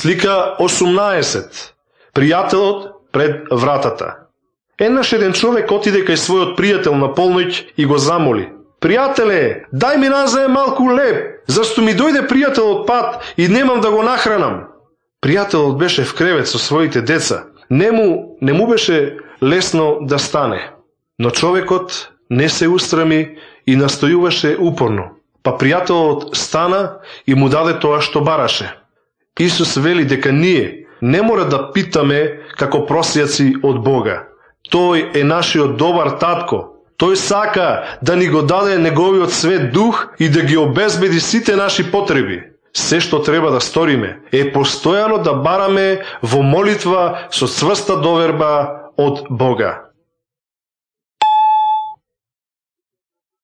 Слика 18. Пријателот пред вратата. Еднаш еден човек отиде кај својот пријател на полноќ и го замоли: пријателе, дај ми назај малку леб, зашто ми дојде пријател од пат и немам да го нахранам. Пријателот беше в кревет со своите деца. Не му беше лесно да стане. Но човекот не се устрами и настојуваше упорно. Па пријателот стана и му даде тоа што бараше. Исус вели дека ние не мора да питаме како просјаци од Бога. Тој е нашиот добар татко. Тој сака да ни го даде неговиот свет дух и да ги обезбеди сите наши потреби. Се што треба да сториме е постојано да бараме во молитва со цврста доверба од Бога.